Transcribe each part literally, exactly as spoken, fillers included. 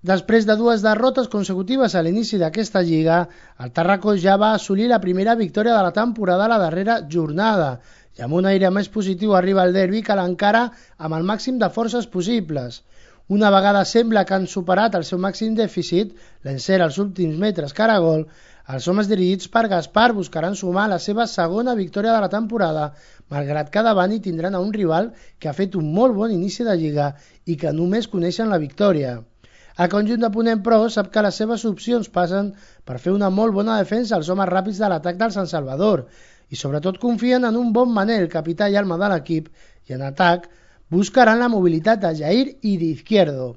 Després de dues derrotes consecutives a l'inici d'aquesta lliga, el Tàrraco ja va assolir la primera victòria de la temporada a la darrera jornada i amb un aire més positiu arriba el derbi que l'encara amb el màxim de forces possibles. Una vegada sembla que han superat el seu màxim dèficit, l'encert als últims metres cara a gol, els homes dirigits per Gaspar buscaran sumar la seva segona victòria de la temporada, malgrat que davant hi tindran a un rival que ha fet un molt bon inici de lliga i que només coneixen la victòria. El conjunt de Ponent, però, sap que les seves opcions passen per fer una molt bona defensa als homes ràpids de l'atac del Sant Salvador i sobretot confien en un bon Manel, capità i alma de l'equip, i en atac buscaran la mobilitat de Jair i d'Izquierdo.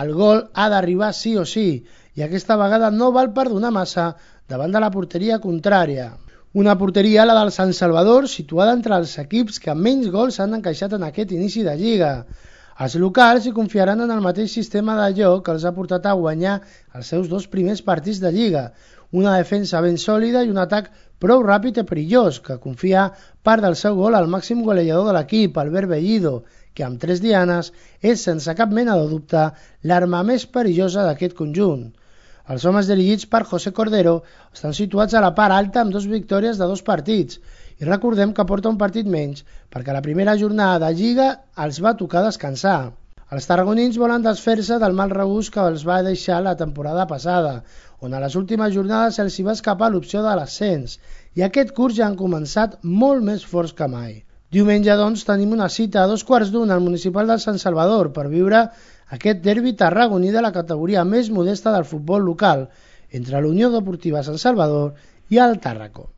El gol ha d'arribar sí o sí i aquesta vegada no val perdonar massa davant de la porteria contrària. Una porteria, la del Sant Salvador, situada entre els equips que menys gols s'han encaixat en aquest inici de lliga. Els locals hi confiaran en el mateix sistema de joc que els ha portat a guanyar els seus dos primers partits de lliga, una defensa ben sòlida i un atac prou ràpid i perillós, que confia part del seu gol al màxim golejador de l'equip, Albert Bellido, que amb tres dianes és sense cap mena de dubte l'arma més perillosa d'aquest conjunt. Els homes dirigits per José Cordero estan situats a la part alta amb dues victòries de dos partits i recordem que porta un partit menys perquè la primera jornada de Lliga els va tocar descansar. Els tarragonins volen desfer-se del mal regust que els va deixar la temporada passada, on a les últimes jornades se'ls va escapar l'opció de l'ascens i aquest curs ja han començat molt més forts que mai. Diumenge, doncs, tenim una cita a dos quarts d'una al municipal del Sant Salvador per viure aquest derbi tarragoní de la categoria més modesta del futbol local entre la Unió Deportiva Sant Salvador i el Tàrraco.